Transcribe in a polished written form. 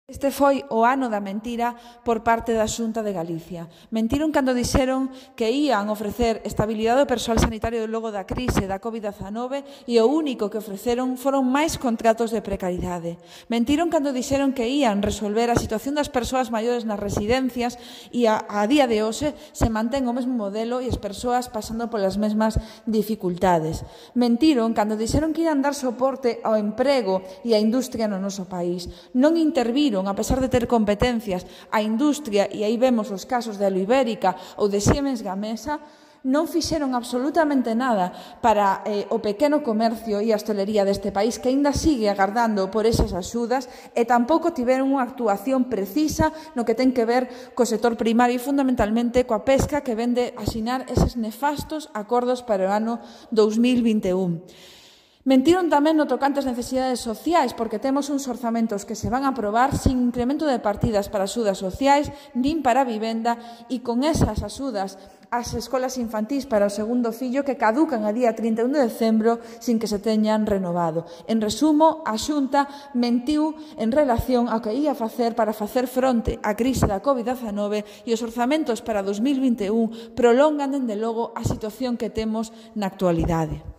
Este foi o ano da mentira por parte da Xunta de Galicia. Mentiron cando dixeron que ían ofrecer estabilidade ao persoal sanitario logo da crise da COVID-19 e o único que ofreceron foron máis contratos de precariedade. Mentiron cando dixeron que ían resolver a situación das persoas maiores nas residencias e a día de hoxe se mantén o mesmo modelo e as persoas pasando polas mesmas dificultades. Mentiron cando dixeron que ian dar soporte ao emprego e á industria no noso país. Non interviron, a pesar de ter competencias, a industria, e aí vemos os casos de Aluibérica ou de Siemens Gamesa, non fixeron absolutamente nada para o pequeno comercio e a hostelería deste país, que aínda sigue agardando por esas axudas, e tampouco tiveron unha actuación precisa no que ten que ver co sector primario e fundamentalmente coa pesca, que vende asinar eses nefastos acordos para o ano 2021. Mentiron tamén no tocante ás necesidades sociais, porque temos uns orzamentos que se van a aprobar sin incremento de partidas para axudas sociais, nin para a vivenda, e con esas axudas ás escolas infantís para o segundo fillo que caducan a día 31 de decembro sin que se teñan renovado. En resumo, a Xunta mentiu en relación ao que ia facer para facer fronte á crise da COVID-19 e os orzamentos para 2021 prolongan, dende logo, a situación que temos na actualidade.